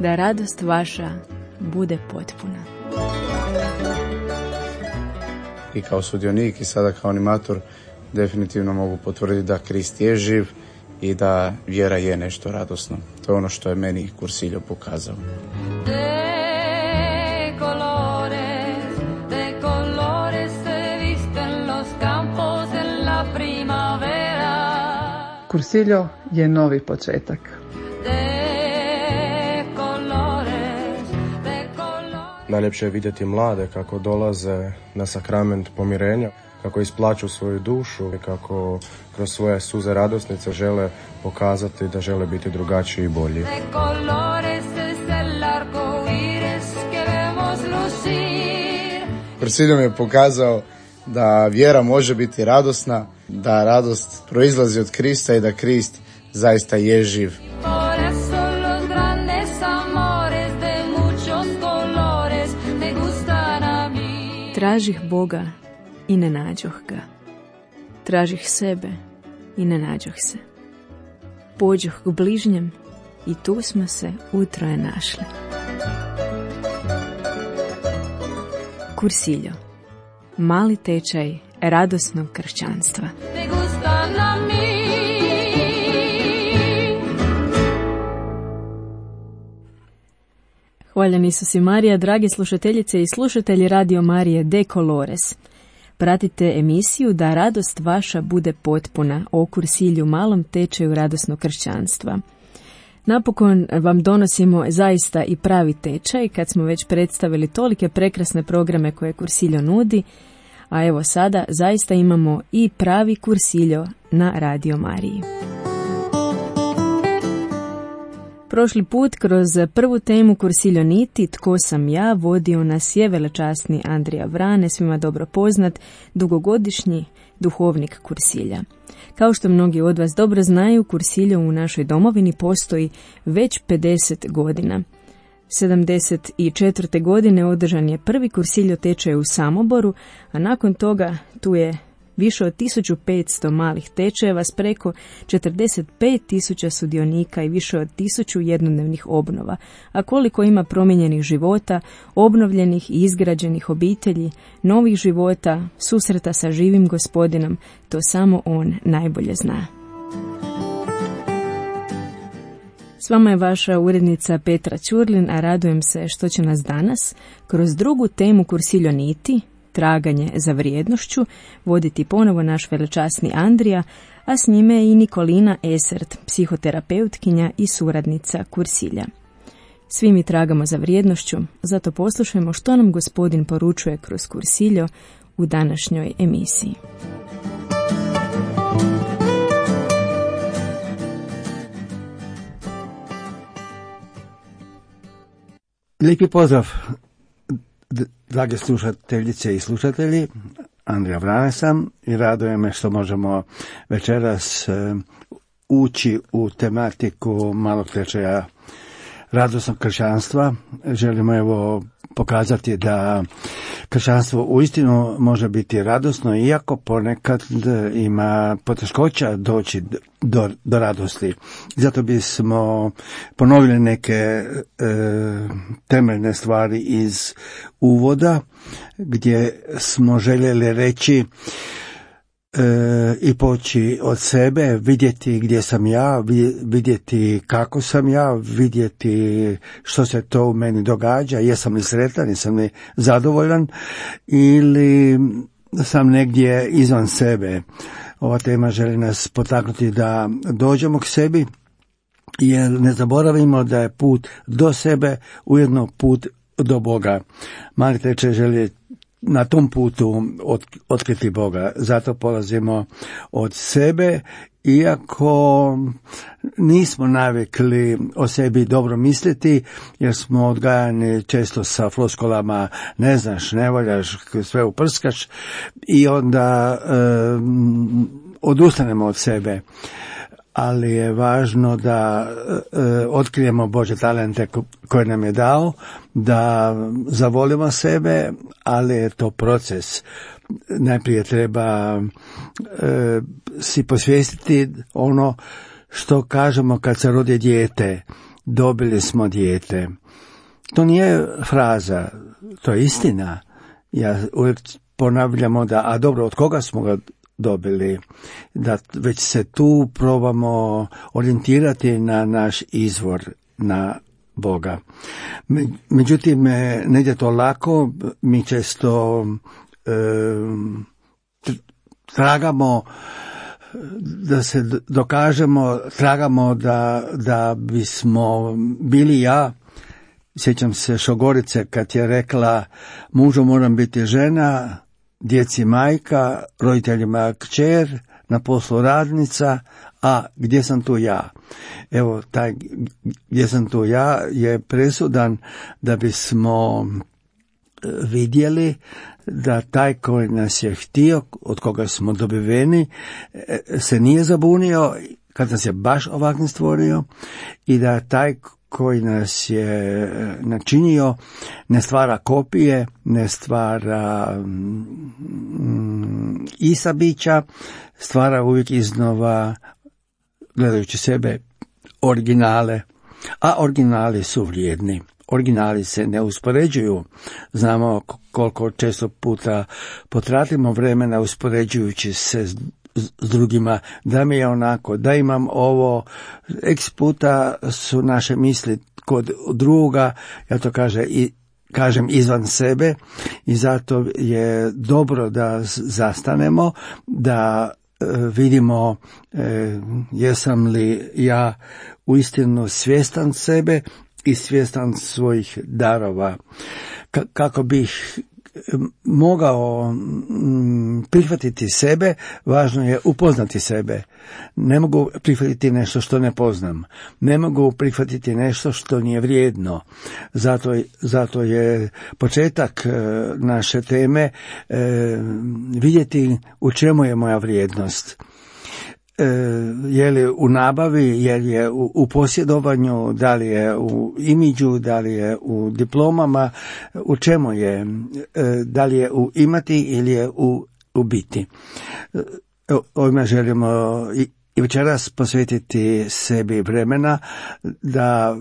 da radost vaša bude potpuna. I kao sudionik i sada kao animator definitivno mogu potvrditi da Krist je živ i da vjera je nešto radosno. To je ono što je meni Cursillo pokazao. Cursillo je novi početak. Najljepše je vidjeti mlade kako dolaze na sakrament pomirenja, kako isplaću svoju dušu i kako kroz svoje suze radosnice žele pokazati da žele biti drugačiji i bolji. Cursillo mi je pokazao da vjera može biti radosna, da radost proizlazi od Krista i da Krist zaista je živ. Tražih Boga i ne nađoh ga. Tražih sebe i ne nađoh se. Pođoh k bližnjem i tu smo se utroje našli. Cursillo. Mali tečaj radosnog kršćanstva. Hvaljen Isus i Marija, drage slušateljice i slušatelji Radio Marije de Colores. Pratite emisiju Da radost vaša bude potpuna o Cursillu, malom tečaju radosnog kršćanstva. Napokon vam donosimo zaista i pravi tečaj kad smo već predstavili tolike prekrasne programe koje Cursillo nudi, a evo sada zaista imamo i pravi Cursillo na Radio Mariji. Prošli put kroz prvu temu Cursillo niti, Tko sam ja, vodio nas je velečasni Andrija Vrane, svima dobro poznat, dugogodišnji duhovnik Cursilja. Kao što mnogi od vas dobro znaju, Cursillo u našoj domovini postoji već 50 godina. 74. godine održan je prvi Cursillo tečaj u Samoboru, a nakon toga tu je više od 1500 malih tečajeva s preko 45.000 sudionika i više od 1000 jednodnevnih obnova. A koliko ima promijenjenih života, obnovljenih i izgrađenih obitelji, novih života, susreta sa živim Gospodinom, to samo on najbolje zna. S vama je vaša urednica Petra Ćurlin, a radujem se što će nas danas kroz drugu temu Cursillo niti, traganje za vrijednošću, voditi ponovo naš velečasni Andrija, a s njime i Nikolina Esert, psihoterapeutkinja i suradnica Cursilja. Svi mi tragamo za vrijednošću, zato poslušajmo što nam Gospodin poručuje kroz Cursillo u današnjoj emisiji. Lijepi pozdrav, drage slušateljice i slušatelji. Andrija Vrane sam i raduje me što možemo večeras ući u tematiku malog tečaja radosnog kršćanstva. Želimo evo pokazati da kršćanstvo uistinu može biti radosno, iako ponekad ima poteškoća doći do radosti. Zato bismo ponovili neke temeljne stvari iz uvoda, gdje smo željeli reći i poći od sebe, vidjeti gdje sam ja, vidjeti kako sam ja, vidjeti što se to u meni događa, jesam li sretan, jesam li zadovoljan ili sam negdje izvan sebe. Ova tema želi nas potaknuti da dođemo k sebi, jer ne zaboravimo da je put do sebe ujedno put do Boga. Mali tečaj želi na tom putu otkriti Boga. Zato polazimo od sebe, iako nismo navikli o sebi dobro misliti, jer smo odgajani često sa floskulama ne znaš, ne voljaš, sve uprskaš i onda odustanemo od sebe. Ali je važno da otkrijemo Božje talente koje nam je dao, da zavolimo sebe, ali je to proces. Najprije treba si posvijestiti ono što kažemo kad se rodi dijete. dobili smo dijete. To nije fraza, to je istina. Ja uvijek ponavljamo da, a dobro, od koga smo ga dobili? Da već se tu probamo orijentirati na naš izvor, na Boga. Međutim, ne ide to lako, mi često tragamo da se dokažemo, tragamo da bismo bili ja. Sjećam se Šogorice kad je rekla: mužu moram biti žena, djeci majka, roditeljima kćer, na poslu radnica, a gdje sam tu ja? Evo, taj gdje sam tu ja je presudan da bismo vidjeli da taj koji nas je htio, od koga smo dobiveni, se nije zabunio kad nas je baš ovakvim stvorio, i da taj koji nas je načinio ne stvara kopije, ne stvara isabića, stvara uvijek iznova, gledajući sebe, originale, a originali su vrijedni. Originali se ne uspoređuju. Znamo koliko često puta potratimo vremena uspoređujući se s drugima, da mi je onako, da imam ovo, x puta su naše misli kod druga, ja to kažem izvan sebe, i zato je dobro da zastanemo, da vidimo jesam li ja uistinu svjestan sebe i svjestan svojih darova. Kako bih mogao prihvatiti sebe, važno je upoznati sebe. Ne mogu prihvatiti nešto što ne poznam. Ne mogu prihvatiti nešto što nije vrijedno. Zato je početak naše teme vidjeti u čemu je moja vrijednost. Je li u nabavi, je li je u posjedovanju, da li je u imidžu, da li je u diplomama, u čemu je, da li je u imati ili je u biti. Ovime želimo i večeras posvetiti sebi vremena da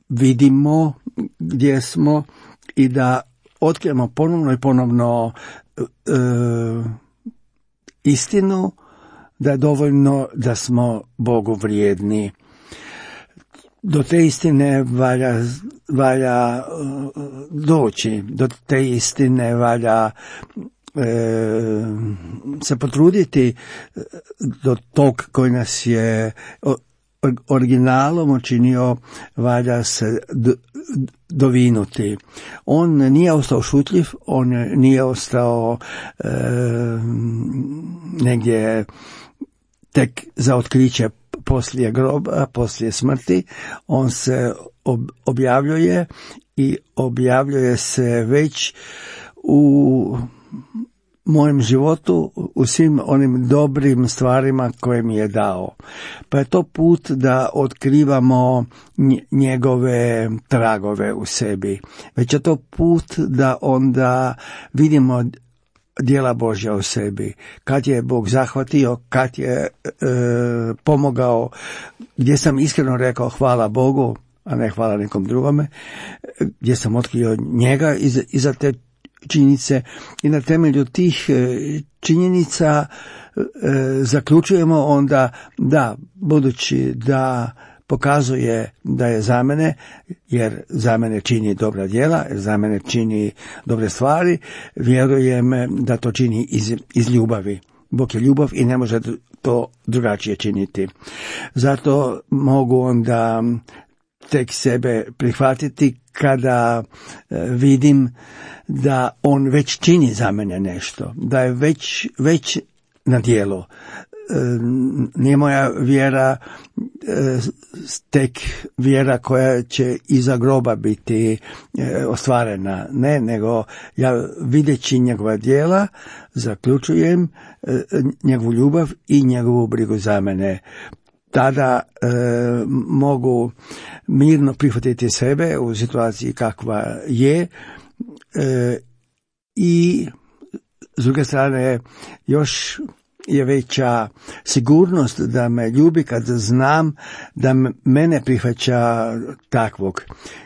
vidimo gdje smo i da otkrijemo ponovno i ponovno istinu, da je dovoljno da smo Bogu vrijedni. Do te istine valja doći, do te istine valja se potruditi, do tog koji nas je originalom učinio, valja se dovinuti. On nije ostao šutljiv, on nije ostao negdje tek za otkriće poslije groba, poslije smrti. On se objavljuje i objavljuje se već u mojem životu, u svim onim dobrim stvarima koje mi je dao. Pa je to put da otkrivamo njegove tragove u sebi. Već je to put da onda vidimo djela Božja u sebi. Kad je Bog zahvatio, kad je pomogao, gdje sam iskreno rekao hvala Bogu, a ne hvala nekom drugome, gdje sam otkrio njega iza te činjenice, i na temelju tih činjenica zaključujemo onda da, budući da pokazuje da je za mene, jer za mene čini dobra djela, jer za mene čini dobre stvari, vjerujem da to čini iz ljubavi. Bog je ljubav i ne može to drugačije činiti. Zato mogu onda tek sebe prihvatiti kada vidim da on već čini za mene nešto, da je već na djelu. Nije moja vjera tek vjera koja će iza groba biti ostvarena. Ne, nego ja videći njegova djela zaključujem njegovu ljubav i njegovu brigu za mene. Tada mogu mirno prihvatiti sebe u situaciji kakva je, i s druge strane još je veća sigurnost da me ljubi kad znam da mene prihvaća takvog.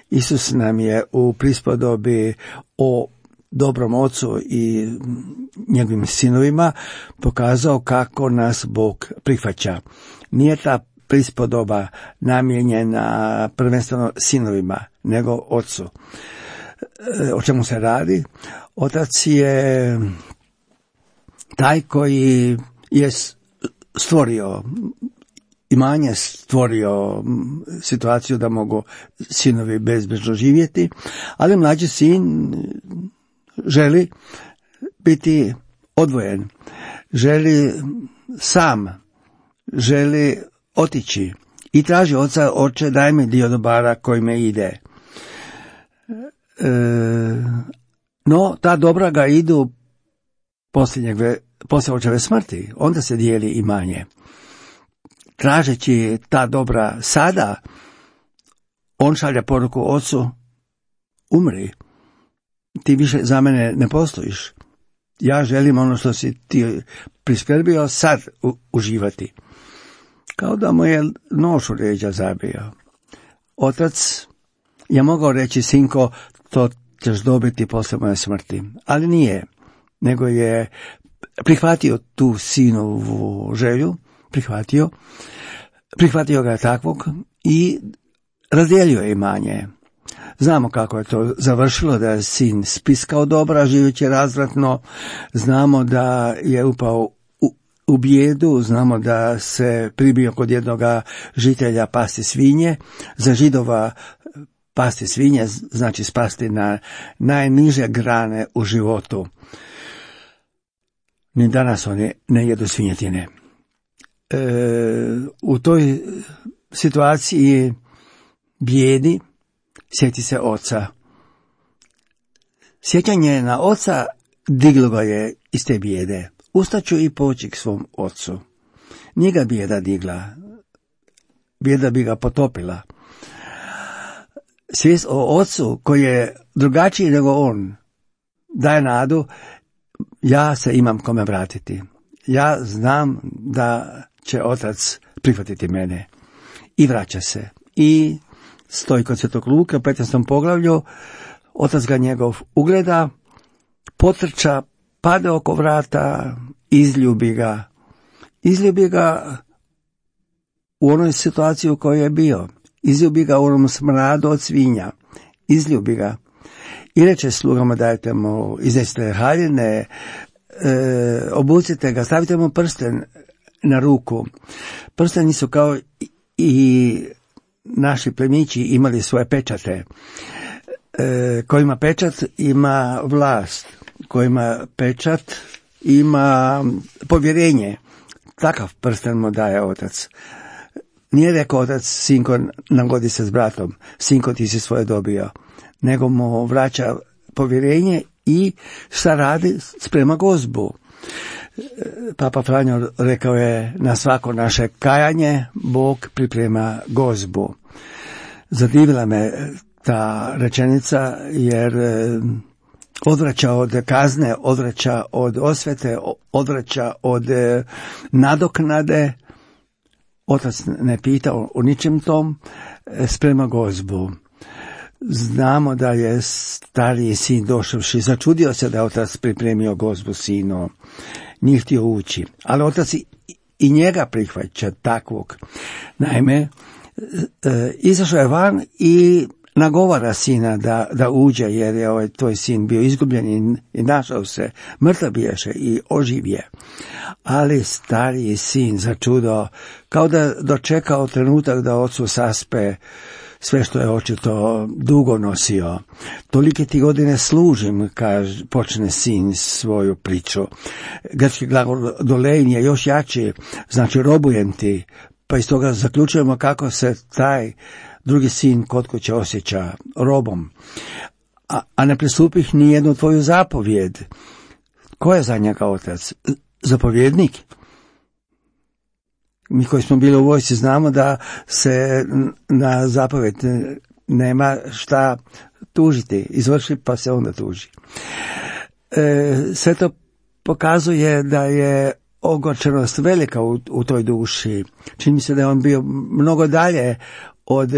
Isus nam je u prispodobi o dobrom ocu i njegovim sinovima pokazao kako nas Bog prihvaća. Nije ta prispodoba namijenjena prvenstveno sinovima, nego ocu. O čemu se radi? Otac je taj koji je stvorio imanje, stvorio situaciju da mogu sinovi bezbrižno živjeti, ali mlađi sin želi biti odvojen, želi sam, želi otići i traži oca: oče, daj mi dio dobara koji me ide. No, ta dobra ga idu poslije očeve smrti, onda se dijeli imanje. Tražeći ta dobra sada, on šalje poruku ocu: umri, ti više za mene ne postojiš. Ja želim ono što si ti priskrbio sad uživati. Kao da mu je nož u leđa zabio. Otac je mogao reći: sinko, to ćeš dobiti poslije moje smrti. Ali nije, nego je prihvatio tu sinovu želju, prihvatio ga takvog i razdijelio imanje. Znamo kako je to završilo, da je sin spiskao dobra, živeći razvratno. Znamo da je upao u bijedu, znamo da se pribio kod jednoga žitelja pasti svinje. Za Židova pasti svinje znači spasti na najniže grane u životu. Ni danas oni ne jedu svinjetine. U toj situaciji bijedi sjeti se oca. Sjećanje na oca diglo ga je iz te bijede. Ustaću i poći k svom ocu. Nije ga bijeda digla, bijeda bi ga potopila. Svijest o ocu koji je drugačiji nego on daje nadu: ja se imam kome vratiti. Ja znam da će otac prihvatiti mene. I vraća se. I stoji kod Svetog Luke u 15. poglavlju. Otac ga njegov ugleda, potrča, pade oko vrata, izljubi ga. Izljubi ga u onoj situaciji u kojoj je bio. Izljubi ga u onom smradu od svinja. Izljubi ga. I reče slugama: dajte mu, iznesite haljine, obucite ga, stavite mu prsten na ruku. Prsteni su kao i naši plemići imali svoje pečate. Ko ima pečat ima vlast, ko ima pečat ima povjerenje. Takav prsten mu daje otac. Nije rekao otac: sinko, nagodi se s bratom, sinko, ti si svoje dobio, nego mu vraća povjerenje i šta radi? Sprema gozbu. Papa Franjo rekao je: na svako naše kajanje Bog priprema gozbu. Zadivila me ta rečenica, jer odvraća od kazne, odvraća od osvete, odvraća od nadoknade. Otac ne pita o ničem tom, sprema gozbu. Znamo da je stariji sin došavši začudio se da je otac pripremio gozbu sinu. Nije htio ući, ali otac i njega prihvaća takvog. Naime, izašao je van i nagovara sina da uđe, jer je tvoj sin bio izgubljen i našao se, mrtav biješe i oživje. Ali stariji sin začudo, kao da dočekao trenutak da ocu saspe sve što je očito dugo nosio. Tolike ti godine služim, počne sin svoju priču. Grčki glagol dolein je još jači, znači robujem ti, pa iz toga zaključujemo kako se taj drugi sin kod kuće osjeća robom. A ne pristupih ni jednu tvoju zapovjed. Ko je za njega otac? Zapovjednik? Mi koji smo bili u vojsci znamo da se na zapovjed nema šta tužiti. Izvrši pa se onda tuži. Sve to pokazuje da je ogorčenost velika u toj duši. Čini mi se da je on bio mnogo dalje od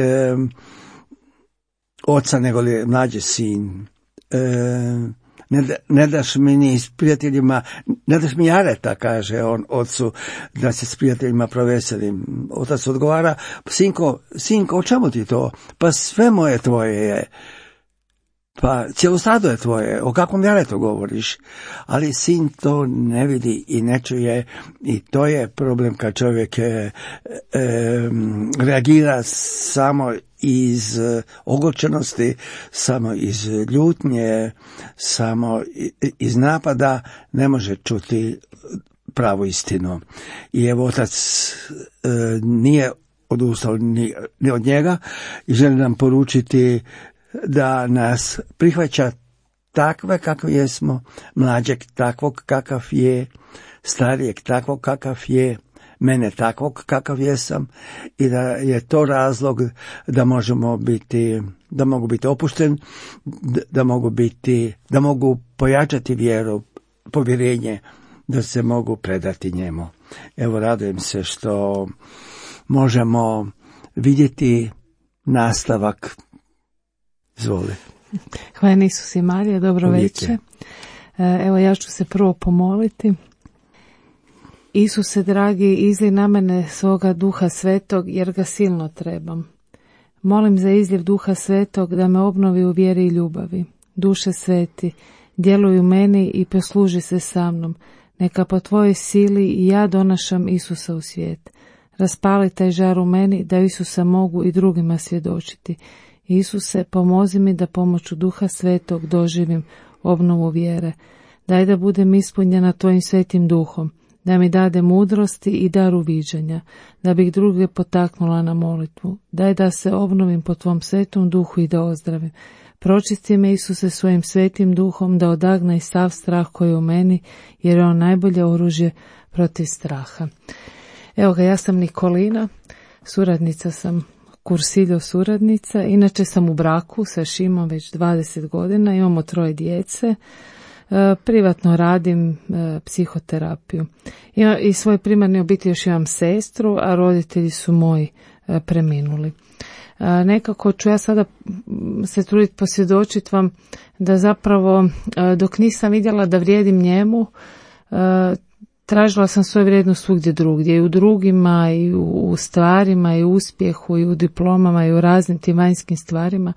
oca nego li mlađi sin. Ne daš mi ni s prijateljima, ne daš mi jareta, kaže on ocu, da se s prijateljima proveselim. Otac odgovara, sinko, o čemu ti to? Pa sve moje tvoje je. Pa cijelo stado je tvoje, o kakvom jaretu govoriš? Ali sin to ne vidi i ne čuje i to je problem kad čovjek reagira samo iz ogorčenosti, samo iz ljutnje, samo iz napada, ne može čuti pravu istinu. I evo otac nije odustao ni od njega i želi nam poručiti da nas prihvaća takve kakvi jesmo, mlađeg takvog kakav je, starijeg takvog kakav je, mene takvog kakav jesam i da je to razlog da mogu biti opušten, da mogu pojačati vjeru, povjerenje, da se mogu predati njemu. Evo, radujem se što možemo vidjeti nastavak. Izvoli. Hvala Isus i Marija, dobro večer. Evo, ja ću se prvo pomoliti. Isuse dragi, izli na mene svoga Duha Svetog, jer ga silno trebam. Molim za izljev Duha Svetog da me obnovi u vjeri i ljubavi. Duše sveti, djeluj u meni i posluži se sa mnom. Neka po tvojoj sili i ja donašam Isusa u svijet. Raspali taj žar u meni da Isusa mogu i drugima svjedočiti. Isuse, pomozi mi da pomoću Duha Svetog doživim obnovu vjere. Daj da budem ispunjena tvojim svetim duhom, da mi dade mudrosti i dar uviđanja, da bih druge potaknula na molitvu. Daj da se obnovim po tvom svetom duhu i da ozdravim. Pročisti me, Isuse, svojim svetim duhom, da odagna i sav strah koji je u meni, jer je on najbolje oružje protiv straha. Evo ga, ja sam Nikolina, suradnica sam, Cursillo suradnica, inače sam u braku sa Šimom već 20 godina, imamo 3 djece, privatno radim psihoterapiju. I svoj primarni obitelj još imam sestru, a roditelji su moji preminuli. Nekako ću ja sada se truditi posvjedočiti vam da zapravo dok nisam vidjela da vrijedim njemu, tražila sam svoju vrijednost svugdje drugdje, i u drugima, i u stvarima, i u uspjehu, i u diplomama, i u raznim tim vanjskim stvarima,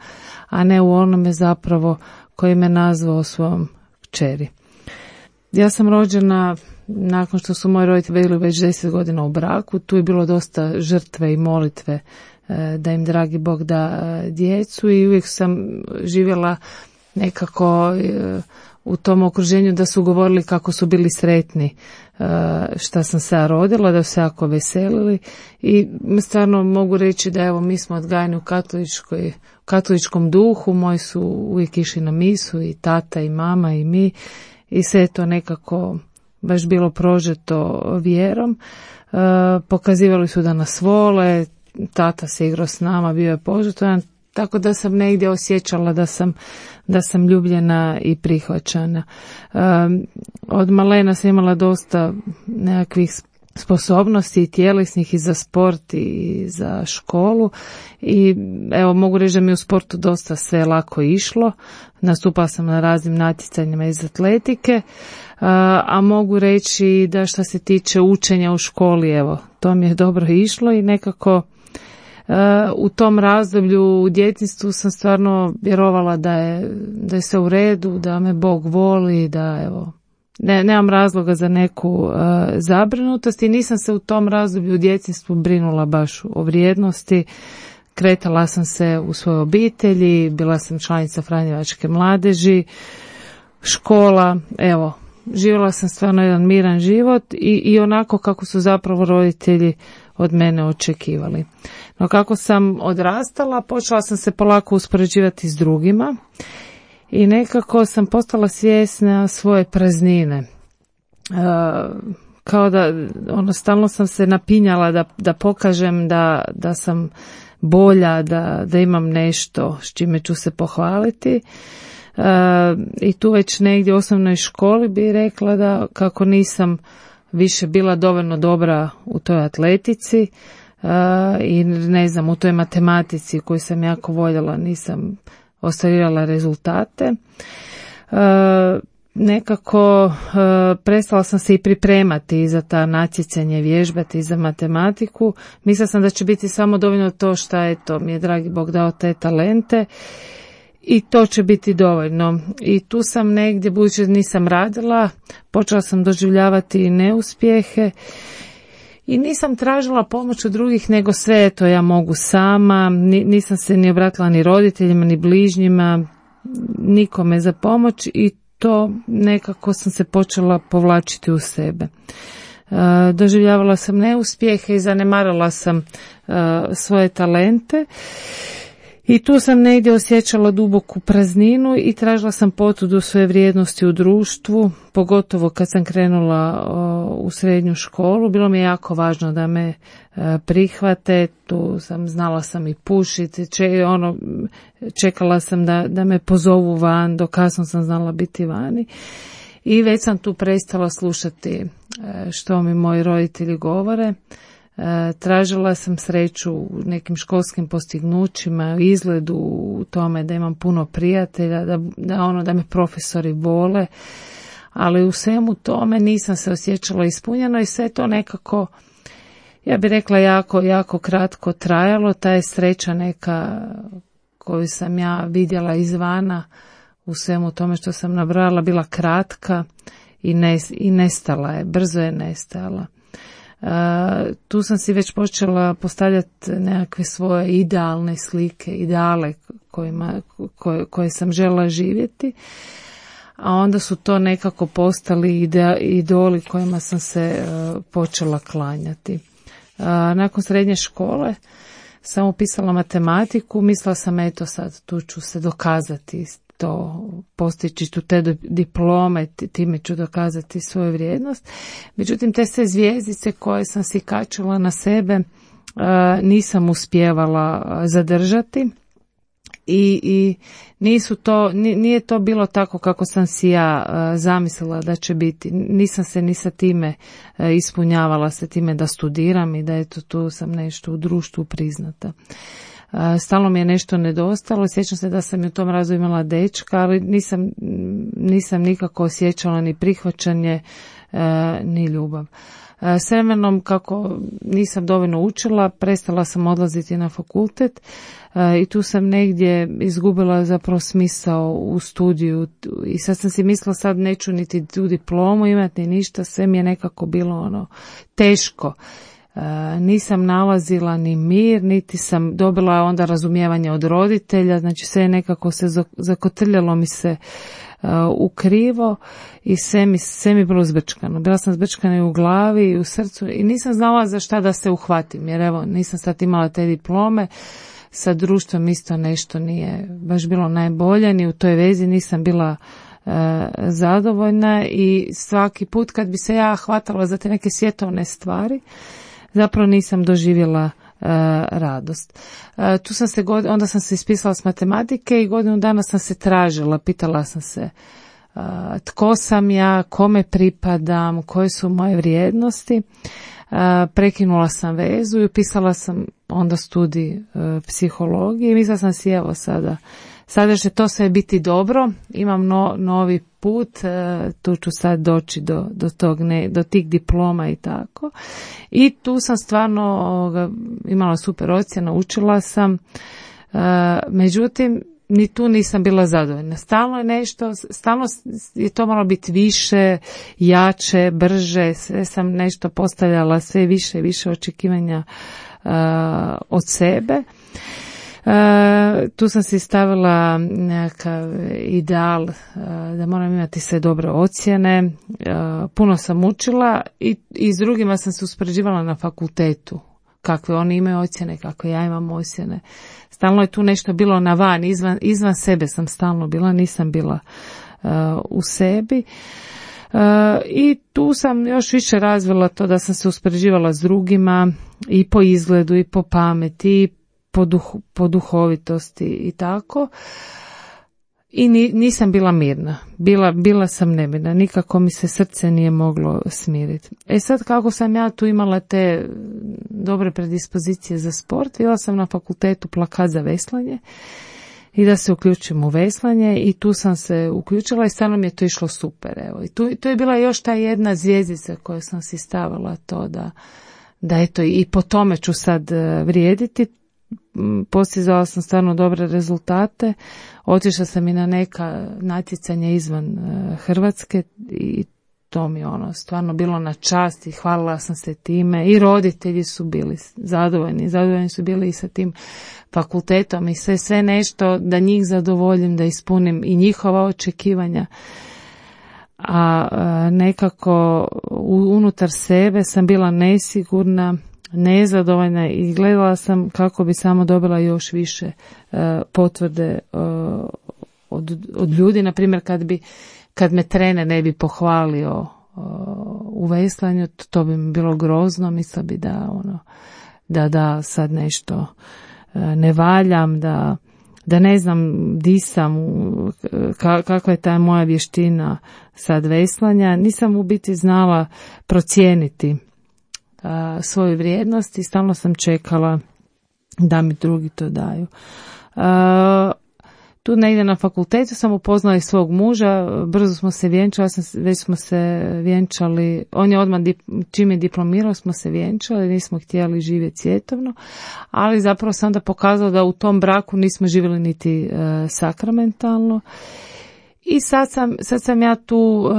a ne u onome zapravo koji me nazvao svojom kćeri. Ja sam rođena nakon što su moji roditelji bili već 10 godina u braku, tu je bilo dosta žrtve i molitve da im dragi Bog da djecu i uvijek sam živjela nekako u tom okruženju da su govorili kako su bili sretni šta sam se ja rodila, da su se jako veselili i stvarno mogu reći da evo mi smo odgajani u katoličkom duhu, moji su uvijek išli na misu i tata i mama i mi i sve je to nekako baš bilo prožeto vjerom. Pokazivali su da nas vole, tata se igrao s nama, bio je požrtvovan, tako da sam negdje osjećala da sam ljubljena i prihvaćana. Od malena sam imala dosta nekakvih sposobnosti i tjelesnih i za sport i za školu i evo mogu reći da mi u sportu dosta sve lako išlo. Nastupala sam na raznim natjecanjima iz atletike, a mogu reći da što se tiče učenja u školi, evo, to mi je dobro išlo i nekako u tom razdoblju u djetinjstvu sam stvarno vjerovala da je sve u redu, da me Bog voli, da evo, nemam razloga za neku zabrinutost i nisam se u tom razdoblju u djetinjstvu brinula baš o vrijednosti. Kretala sam se u svojoj obitelji, bila sam članica Franjevačke mladeži, škola, evo, živjela sam stvarno jedan miran život i onako kako su zapravo roditelji od mene očekivali. No kako sam odrastala, počela sam se polako uspoređivati s drugima i nekako sam postala svjesna svoje praznine. Kao da stalno sam se napinjala da pokažem da sam bolja, da imam nešto s čime ću se pohvaliti. I tu već negdje u osnovnoj školi bi rekla da kako nisam više bila dovoljno dobra u toj atletici i ne znam, u toj matematici koju sam jako voljela, nisam ostvarila rezultate. Nekako prestala sam se i pripremati za ta natjecanje, vježbati za matematiku. Mislila sam da će biti samo dovoljno to što mi je dragi Bog dao te talente i to će biti dovoljno. I tu sam negdje, budući da nisam radila, počela sam doživljavati neuspjehe i nisam tražila pomoć od drugih, nego sve ja mogu sama. Nisam se ni obratila ni roditeljima, ni bližnjima, nikome za pomoć i to nekako sam se počela povlačiti u sebe. Doživljavala sam neuspjehe i zanemarila sam svoje talente i tu sam negdje osjećala duboku prazninu i tražila sam potvrdu svoje vrijednosti u društvu, pogotovo kad sam krenula u srednju školu. Bilo mi je jako važno da me prihvate, tu sam znala sam i pušiti, čekala sam da me pozovu van, do kasno sam znala biti vani i već sam tu prestala slušati što mi moji roditelji govore. Tražila sam sreću u nekim školskim postignućima, u izgledu, u tome da imam puno prijatelja, da me profesori vole, ali u svemu tome nisam se osjećala ispunjeno i sve to nekako, ja bih rekla, jako kratko trajalo. Ta je sreća neka koju sam ja vidjela izvana u svemu tome što sam nabrala bila kratka i nestala je, brzo je nestala. Tu sam si već počela postavljati nekakve svoje idealne slike, ideale koje sam željela živjeti, a onda su to nekako postali idoli kojima sam se počela klanjati. Nakon srednje škole sam upisala matematiku, mislila sam sad tu ću se dokazati, to postići tu te diplome, time ću dokazati svoju vrijednost. Međutim, te sve zvjezdice koje sam si kačila na sebe nisam uspijevala zadržati i nije to bilo tako kako sam si ja zamislila da će biti. Nisam se ni sa time ispunjavala, sa time da studiram i da tu sam nešto u društvu priznata. Stalno mi je nešto nedostalo, sjećam se da sam u tom razdoblju imala dečka, ali nisam nikako osjećala ni prihvaćanje, ni ljubav. S vremenom, kako nisam dovoljno učila, prestala sam odlaziti na fakultet i tu sam negdje izgubila zapravo smisao u studiju i sad sam si mislila sad neću niti tu diplomu imati ni ništa, sve mi je nekako bilo teško. Nisam nalazila ni mir, niti sam dobila onda razumijevanje od roditelja, znači sve nekako se zakotrljalo mi se u krivo i sve mi bilo zbrčkano. Bila sam zbrčkana i u glavi i u srcu i nisam znala za šta da se uhvatim, jer nisam sad imala te diplome, sa društvom isto nešto nije baš bilo najbolje, ni u toj vezi nisam bila zadovoljna i svaki put kad bi se ja hvatala za te neke svjetovne stvari, zapravo nisam doživjela radost. Onda sam se ispisala s matematike i godinu dana sam se tražila, pitala sam se tko sam ja, kome pripadam, koje su moje vrijednosti. Prekinula sam vezu i upisala sam onda studij psihologije i mislila sam si sada će to sve biti dobro, imam novi put, tu ću sad doći do tih diploma i tako. I tu sam stvarno imala super ocjena, učila sam, međutim ni tu nisam bila zadovoljna. Stalno je to moralo biti više, jače, brže, sve sam nešto postavljala, sve više i više očekivanja od sebe. Tu sam si stavila nekakav ideal da moram imati sve dobre ocjene, puno sam učila i s drugima sam se uspoređivala na fakultetu, kakve oni imaju ocjene, kakve ja imam ocjene. Stalno je tu nešto bilo na van, izvan sebe sam stalno bila, nisam bila u sebi. I tu sam još više razvila to da sam se uspoređivala s drugima i po izgledu i po pameti i po duhovitosti i tako. i nisam bila mirna. Bila sam nemirna. Nikako mi se srce nije moglo smiriti. Sad kako sam ja tu imala te dobre predispozicije za sport, bila sam na fakultetu plakat za veslanje i da se uključim u veslanje i tu sam se uključila i stvarno mi je to išlo super. Evo. I tu je bila još ta jedna zvjezdica koju sam si stavila to da eto i po tome ću sad vrijediti. Postizala sam stvarno dobre rezultate, otišla sam i na neka natjecanja izvan Hrvatske i to mi stvarno bilo na čast i hvalila sam se time i roditelji su bili zadovoljni su bili i sa tim fakultetom i sve nešto da njih zadovoljim, da ispunim i njihova očekivanja. A nekako unutar sebe sam bila nesigurna, nezadovoljna i gledala sam kako bi samo dobila još više potvrde od ljudi. Na primjer, kad me trener ne bi pohvalio u veslanju, to bi mi bilo grozno. Mislila bi da sad nešto ne valjam, da ne znam di sam, kakva je ta moja vještina sad veslanja. Nisam u biti znala procijeniti svoju vrijednost i stalno sam čekala da mi drugi to daju. Tu negdje na fakultetu sam upoznala i svog muža, brzo smo se vjenčali, već smo se vjenčali, on je odmah čim je diplomirao smo se vjenčali, nismo htjeli živjeti svjetovno, ali zapravo sam onda pokazala da u tom braku nismo živjeli niti sakramentalno. I sad sam ja tu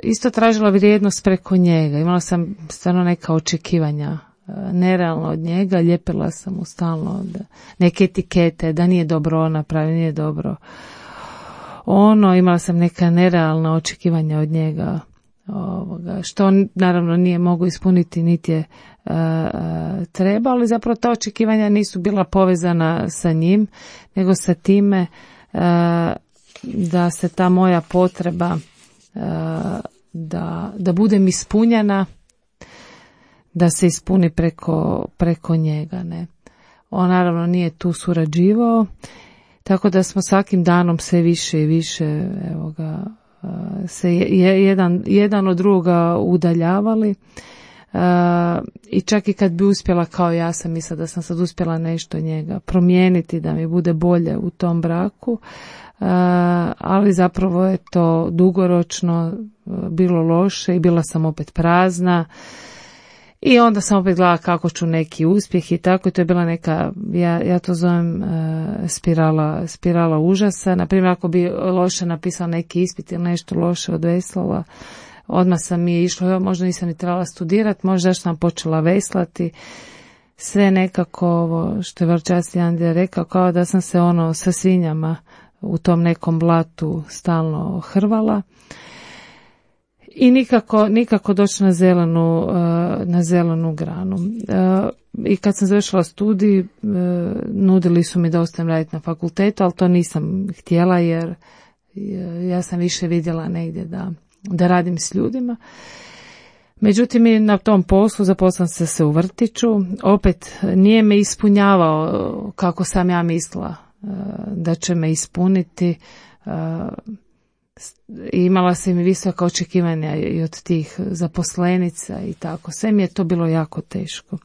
isto tražila vrijednost preko njega. Imala sam stvarno neka očekivanja nerealno od njega. Ljepila sam mu stalno neke etikete, da nije dobro napravio, nije dobro. Imala sam neka nerealna očekivanja od njega. Što on naravno nije mogao ispuniti niti je treba, ali zapravo ta očekivanja nisu bila povezana sa njim, nego sa time da se ta moja potreba da budem ispunjena, da se ispuni preko njega. Ne. On naravno nije tu surađivao, tako da smo svakim danom sve više i više se jedan od druga udaljavali. I čak i kad bi uspjela, kao ja sam mislila da sam sad uspjela nešto njega promijeniti, da mi bude bolje u tom braku, ali zapravo je to dugoročno bilo loše i bila sam opet prazna i onda sam opet gledala kako ću neki uspjeh i tako, i to je bila neka, ja to zovem spirala užasa. Naprimjer, ako bi loše napisala neki ispit ili nešto loše odveslala, odmah sam mi išla, možda nisam ni trebala studirati, možda sam počela veslati, sve nekako ovo što je Varčasti Andrija rekao, kao da sam se sa svinjama u tom nekom blatu stalno hrvala i nikako doći na zelenu granu. I kad sam završila studij, nudili su mi da ostanem raditi na fakultetu, ali to nisam htjela jer ja sam više vidjela negdje da radim s ljudima. Međutim, i na tom poslu zaposlila sam se u vrtiću, opet nije me ispunjavao kako sam ja mislila da će me ispuniti. Imala sam i visoka očekivanja i od tih zaposlenica i tako. Sve mi je to bilo jako teško.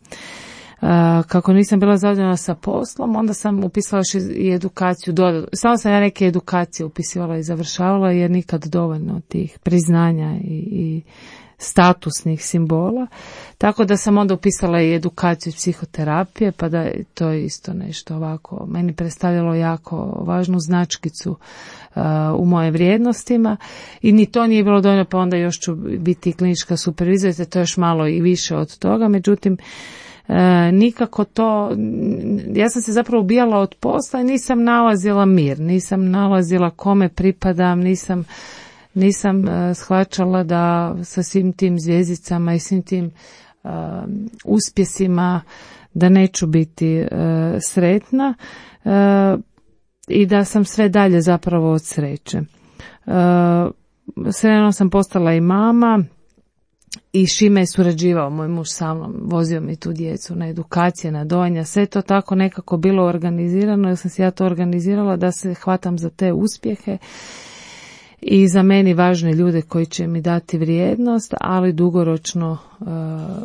Kako nisam bila zadovoljna sa poslom, onda sam upisala i edukaciju. Samo sam ja neke edukacije upisivala i završavala jer nikad dovoljno tih priznanja i statusnih simbola. Tako da sam onda upisala i edukaciju psihoterapije, pa da to je isto nešto ovako. Meni predstavljalo jako važnu značkicu u moje vrijednostima i ni to nije bilo dovoljno, pa onda još ću biti klinička supervizorica, to je još malo i više od toga. Međutim, nikako to, ja sam se zapravo ubijala od posla i nisam nalazila mir, nisam nalazila kome pripadam, nisam shvaćala da sa svim tim zvijezdicama i svim tim uspjesima da neću biti sretna i da sam sve dalje zapravo od sreće. Sretno sam postala i mama i Šime je surađivao, moj muž sa mnom, vozio mi tu djecu na edukacije, na dojenja, sve to tako nekako bilo organizirano, jer sam se ja to organizirala da se hvatam za te uspjehe i za meni važne ljude koji će mi dati vrijednost, ali dugoročno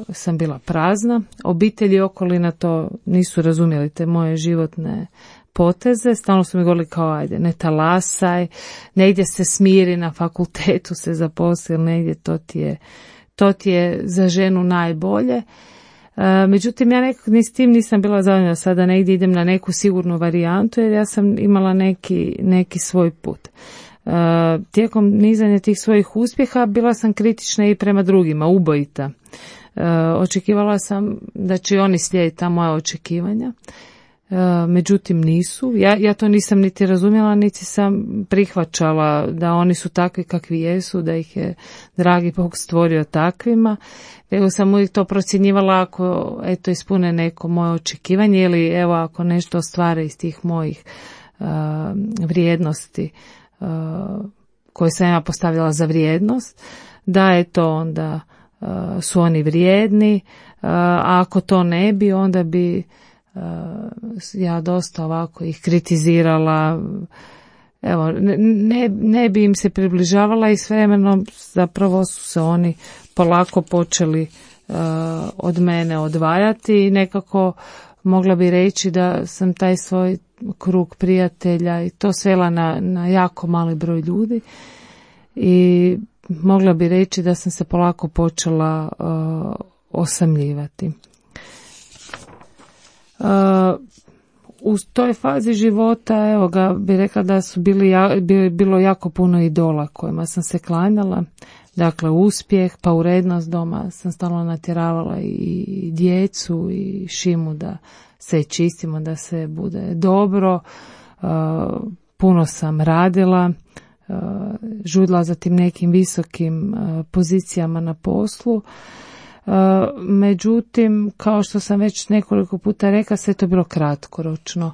sam bila prazna. Obitelji i okolina to nisu razumjeli, te moje životne poteze, stalno su mi govorili kao ajde, ne talasaj, negdje se smiri, na fakultetu se zaposli, negdje to ti je za ženu najbolje. Međutim, ja nekako ni s tim nisam bila zadovoljna, sada negdje idem na neku sigurnu varijantu, jer ja sam imala neki svoj put. Tijekom nizanja tih svojih uspjeha bila sam kritična i prema drugima, ubojita. Očekivala sam da će oni slijediti ta moja očekivanja. Međutim nisu. Ja to nisam niti razumjela, niti sam prihvaćala da oni su takvi kakvi jesu, da ih je dragi Bog stvorio takvima. Nego sam uvijek to procjenjivala ako ispune neko moje očekivanje ili evo ako nešto ostvare iz tih mojih vrijednosti koje sam ja postavila za vrijednost, da onda su oni vrijedni, a ako to ne bi, onda bi ja dosta ovako ih kritizirala, evo, ne bi im se približavala i s vremenom zapravo su se oni polako počeli od mene odvajati i nekako mogla bi reći da sam taj svoj krug prijatelja i to svela na jako mali broj ljudi i mogla bi reći da sam se polako počela osamljivati. U toj fazi života, evo ga, bi rekla da su bilo jako puno idola kojima sam se klanjala. Dakle, uspjeh, pa urednost doma sam stalno natjeravala i djecu i Šimu da se čistimo, da se bude dobro. Puno sam radila, žudila za tim nekim visokim pozicijama na poslu. Međutim, kao što sam već nekoliko puta rekla, sve to bilo kratkoročno.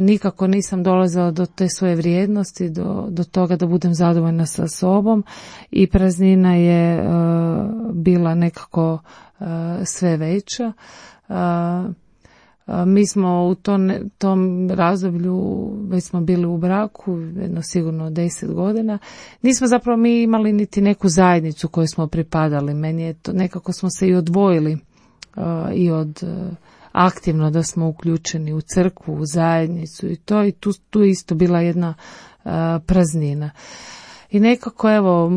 Nikako nisam dolazila do te svoje vrijednosti, do toga da budem zadovoljna sa sobom i praznina je bila nekako sve veća. Mi smo u tom razdoblju, već smo bili u braku, jedno sigurno 10 godina. Nismo zapravo mi imali niti neku zajednicu koju smo pripadali. Meni je to, nekako smo se i odvojili i od aktivno da smo uključeni u crkvu, u zajednicu i to, i tu isto bila jedna praznina. I nekako, evo,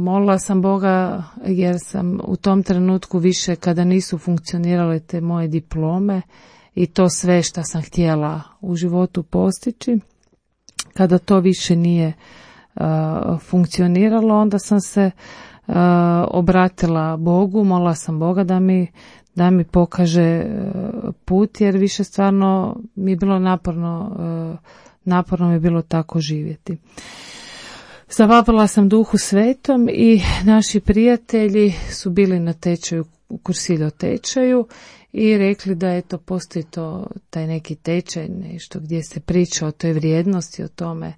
molila sam Boga jer sam u tom trenutku više, kada nisu funkcionirale te moje diplome i to sve što sam htjela u životu postići, kada to više nije funkcioniralo, onda sam se obratila Bogu, molila sam Boga da mi pokaže put, jer više stvarno mi je bilo naporno mi je bilo tako živjeti. Zavapila sam Duhu Svetom i naši prijatelji su bili na tečaju, u Cursillo tečaju i rekli da eto postoji taj neki tečaj, nešto gdje se priča o toj vrijednosti, o tome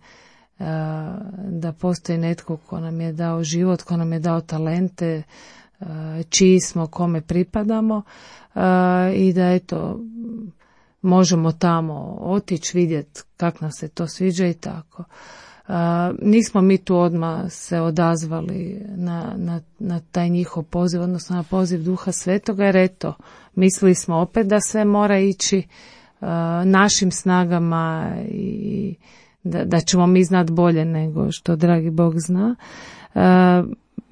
da postoji netko ko nam je dao život, ko nam je dao talente, čiji smo, kome pripadamo i da eto možemo tamo otići, vidjeti kako nam se to sviđa i tako. Nismo mi tu odmah se odazvali na taj njihov poziv, odnosno na poziv Duha Svetoga, jer eto, mislili smo opet da sve mora ići našim snagama i da ćemo mi znati bolje nego što dragi Bog zna.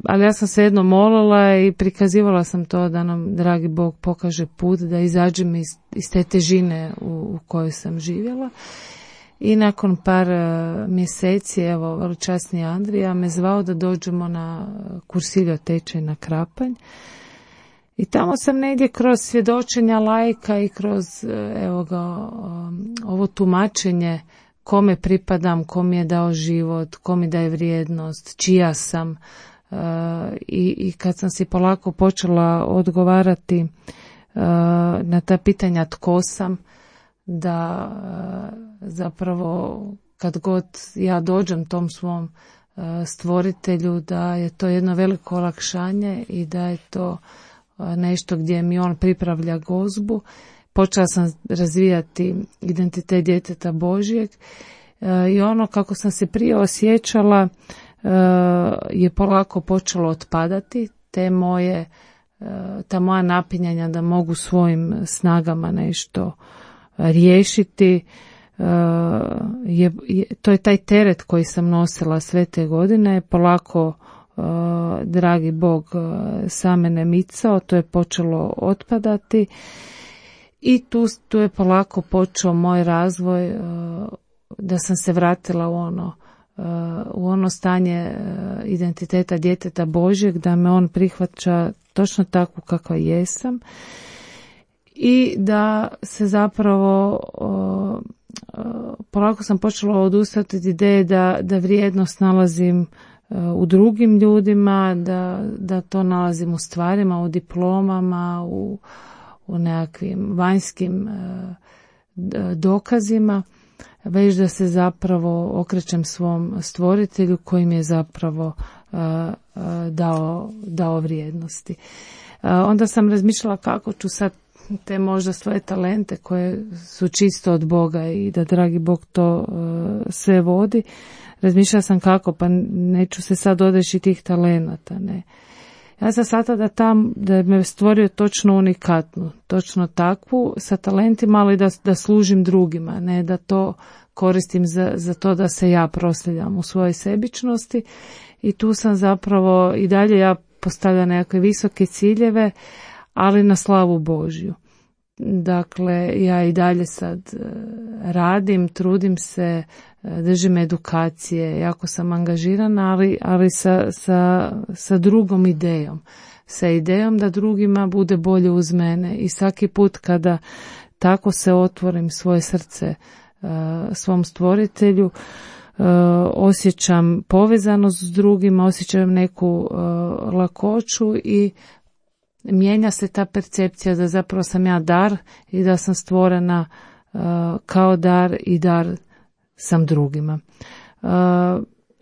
Ali ja sam se jedno molila i prikazivala sam to da nam dragi Bog pokaže put, da izađem iz te težine u kojoj sam živjela. I nakon par mjeseci, evo, veličasni Andrija me zvao da dođemo na Cursillo tečaj na Krapanj. I tamo sam negdje kroz svjedočenja laika i kroz ovo tumačenje kome pripadam, ko mi je dao život, ko mi daje vrijednost, čija sam. I kad sam si polako počela odgovarati na ta pitanja tko sam, da zapravo kad god ja dođem tom svom stvoritelju da je to jedno veliko olakšanje i da je to nešto gdje mi on pripravlja gozbu. Počela sam razvijati identitet djeteta Božjeg i ono kako sam se prije osjećala je polako počelo otpadati. Ta moja napinjanja da mogu svojim snagama nešto riješiti, to je taj teret koji sam nosila sve te godine. Polako, dragi Bog sa mene micao, to je počelo otpadati i tu je polako počeo moj razvoj, da sam se vratila u ono stanje identiteta djeteta Božjeg, da me on prihvaća točno takvu kakva jesam i da se zapravo polako sam počela odustati od ideje da vrijednost nalazim u drugim ljudima, da to nalazim u stvarima, u diplomama, u nekakvim vanjskim dokazima, već da se zapravo okrećem svom stvoritelju koji mi je zapravo dao vrijednosti. Onda sam razmišljala kako ću sad te možda svoje talente koje su čisto od Boga i da dragi Bog to sve vodi. Razmišljala sam kako, pa neću se sad odreći tih talenata, ne. Ja sam shvatila da me stvorio točno unikatnu, točno takvu, sa talentima, ali da služim drugima, ne da to koristim za to da se ja proslavljam u svojoj sebičnosti. I tu sam zapravo i dalje ja postavljam nekakve visoke ciljeve, ali na slavu Božju. Dakle, ja i dalje sad radim, trudim se, držim edukacije, jako sam angažirana, ali sa drugom idejom. Sa idejom da drugima bude bolje uz mene i svaki put kada tako se otvorim svoje srce svom stvoritelju, osjećam povezanost s drugima, osjećam neku lakoću i mijenja se ta percepcija da zapravo sam ja dar i da sam stvorena kao dar i dar sam drugima.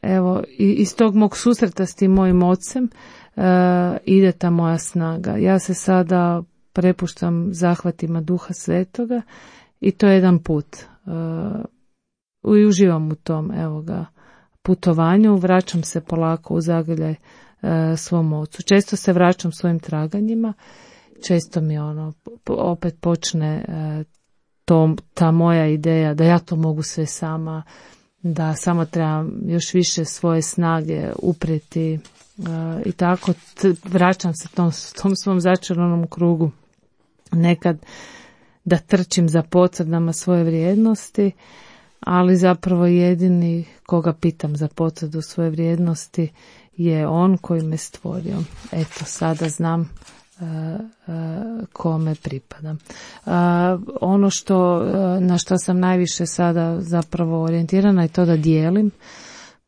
Evo, iz tog mog susreta s tim mojim ocem ide ta moja snaga. Ja se sada prepuštam zahvatima Duha Svetoga i to je jedan put. I uživam u tom putovanju, vraćam se polako u zagrljaj svom ocu. Često se vraćam svojim traganjima, često mi opet počne ta moja ideja da ja to mogu sve sama, da samo trebam još više svoje snage uprijeti i tako vraćam se tom svom začaranom krugu. Nekad da trčim za potvrdama svoje vrijednosti, ali zapravo jedini koga pitam za potvrdu svoje vrijednosti je on koji me stvorio. Eto, sada znam kome pripadam. Ono na što sam najviše sada zapravo orijentirana je to da dijelim,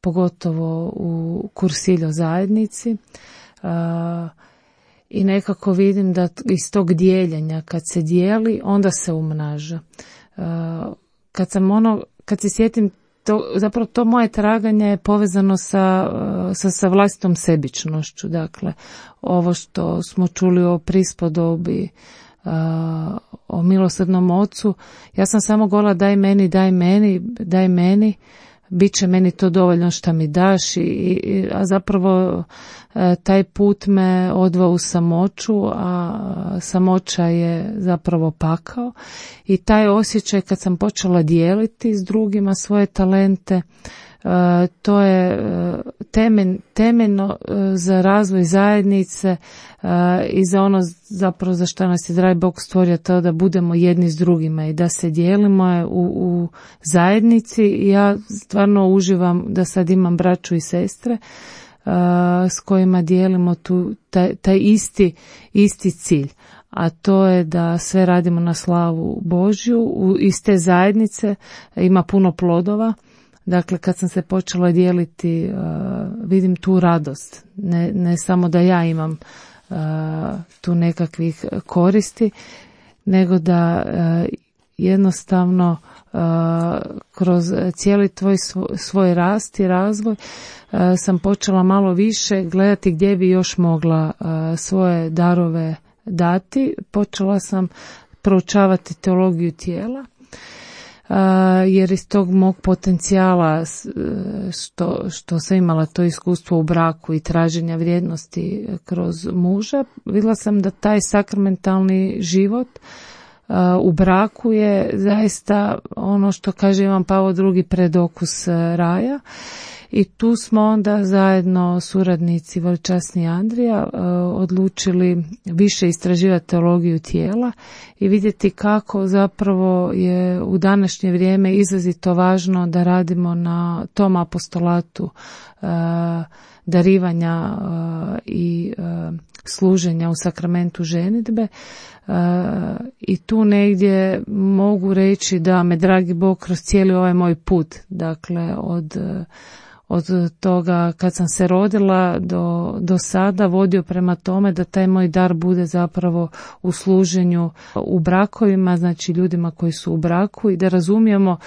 pogotovo u Cursillo zajednici. I nekako vidim da iz tog dijeljenja kad se dijeli, onda se umnaža. Kad se sjetim, zapravo to moje traganje je povezano sa vlastitom sebičnošću. Dakle, ovo što smo čuli o prispodobi, o milosrdnom ocu, ja sam samo govorila daj meni, bit će meni to dovoljno što mi daš, a zapravo taj put me odveo u samoću, a samoća je zapravo pakao. I taj osjećaj kad sam počela dijeliti s drugima svoje talente, to je temeljno za razvoj zajednice i za ono zapravo za što nas je dragi Bog stvorio, to da budemo jedni s drugima i da se dijelimo u zajednici. I ja stvarno uživam da sad imam braću i sestre s kojima dijelimo taj isti cilj, a to je da sve radimo na slavu Božju. Iz te zajednice ima puno plodova. Dakle, kad sam se počela dijeliti, vidim tu radost. Ne samo da ja imam tu nekakvih koristi, nego da jednostavno kroz cijeli svoj rast i razvoj sam počela malo više gledati gdje bi još mogla svoje darove dati. Počela sam proučavati teologiju tijela, jer iz tog mog potencijala što sam imala to iskustvo u braku i traženja vrijednosti kroz muža, vidjela sam da taj sakramentalni život u braku je zaista ono što kaže Ivan Pavao II predokus raja. I tu smo onda zajedno suradnici veličasni Andrija odlučili više istraživati teologiju tijela i vidjeti kako zapravo je u današnje vrijeme izrazito važno da radimo na tom apostolatu darivanja i služenja u sakramentu ženidbe. I tu negdje mogu reći da me dragi Bog kroz cijeli ovaj moj put, dakle od toga kad sam se rodila do sada vodio prema tome da taj moj dar bude zapravo u služenju u brakovima, znači ljudima koji su u braku, i da razumijemo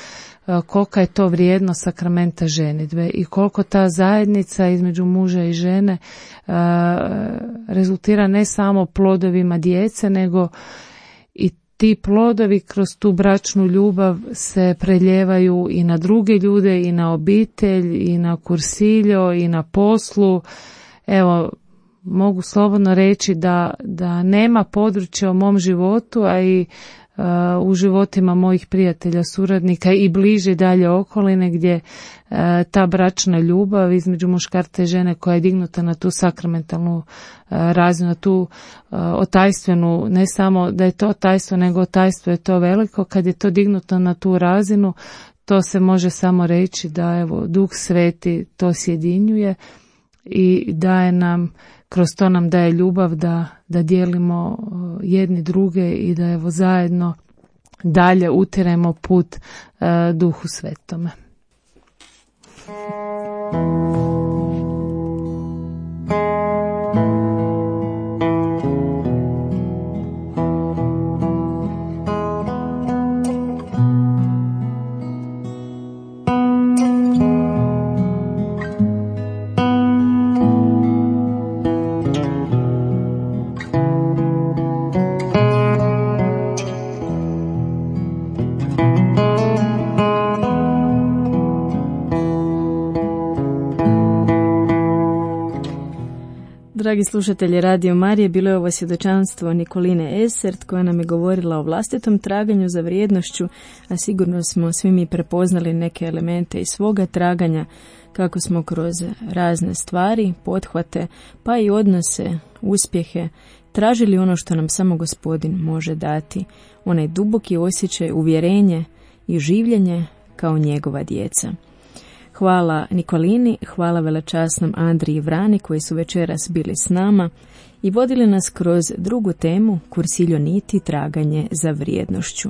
kolika je to vrijednost sakramenta ženidbe i koliko ta zajednica između muža i žene rezultira ne samo plodovima djece, nego i ti plodovi kroz tu bračnu ljubav se preljevaju i na druge ljude, i na obitelj, i na kursiljo, i na poslu. Evo, mogu slobodno reći da nema područja u mom životu, a i u životima mojih prijatelja, suradnika i bliže dalje okoline gdje ta bračna ljubav između muškarca i žene koja je dignuta na tu sakramentalnu razinu, na tu otajstvenu, ne samo da je to otajstvo, nego otajstvo je to veliko. Kad je to dignuto na tu razinu, to se može samo reći da evo Duh Sveti to sjedinjuje i daje nam, kroz to nam daje ljubav da dijelimo jedni druge i da evo zajedno dalje utiremo put Duhu Svetome. Dragi slušatelji Radio Marije, bilo je ovo svjedočanstvo Nikoline Esert koja nam je govorila o vlastitom traganju za vrijednošću, a sigurno smo svi mi prepoznali neke elemente iz svoga traganja, kako smo kroz razne stvari, pothvate, pa i odnose, uspjehe, tražili ono što nam samo Gospodin može dati, onaj duboki osjećaj, uvjerenje i življenje kao njegova djeca. Hvala Nikolini, hvala velečasnom Andriji Vrani koji su večeras bili s nama i vodili nas kroz drugu temu Cursilio Niti, traganje za vrijednošću.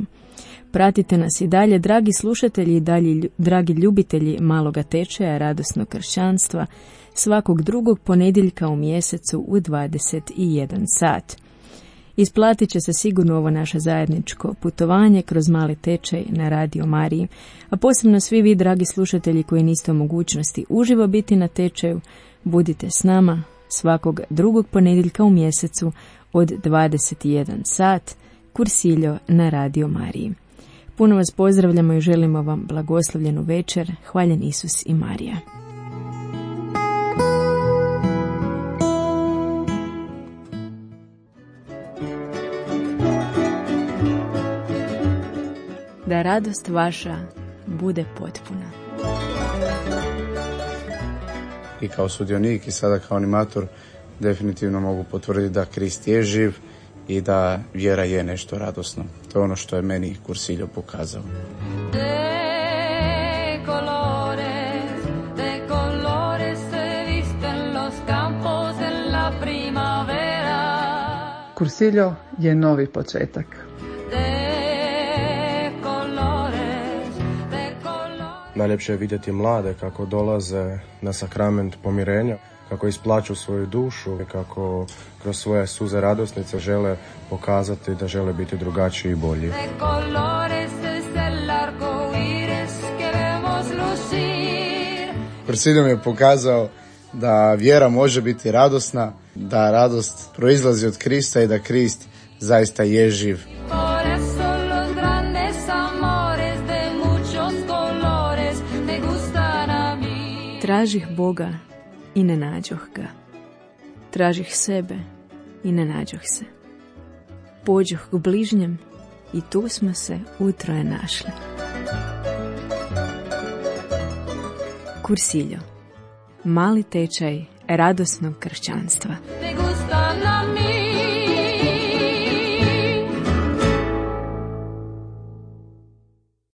Pratite nas i dalje, dragi slušatelji i dragi ljubitelji maloga tečaja radosnog kršćanstva, svakog drugog ponedjeljka u mjesecu u 21 sat. Isplatit će se sigurno ovo naše zajedničko putovanje kroz mali tečaj na Radio Mariji, a posebno svi vi, dragi slušatelji, koji niste u mogućnosti uživo biti na tečaju, budite s nama svakog drugog ponedjeljka u mjesecu od 21 sat, Cursilio na Radio Mariji. Puno vas pozdravljamo i želimo vam blagoslovljenu večer. Hvaljen Isus i Marija. Da radost vaša bude potpuna. I kao sudionik i sada kao animator definitivno mogu potvrditi da Krist je živ i da vjera je nešto radosno. To je ono što je meni Cursilio pokazao. Cursilio je novi početak. Najljepše je vidjeti mlade kako dolaze na sakrament pomirenja, kako isplaću svoju dušu i kako kroz svoje suze radosnice žele pokazati da žele biti drugačiji i bolji. Kursiljo mi je pokazao da vjera može biti radosna, da radost proizlazi od Krista i da Krist zaista je živ. Tražih Boga i ne nađoh ga. Tražih sebe i ne nađoh se. Pođoh k bližnjem i tu smo se utroje našli. Kursiljo. Mali tečaj radosnog kršćanstva.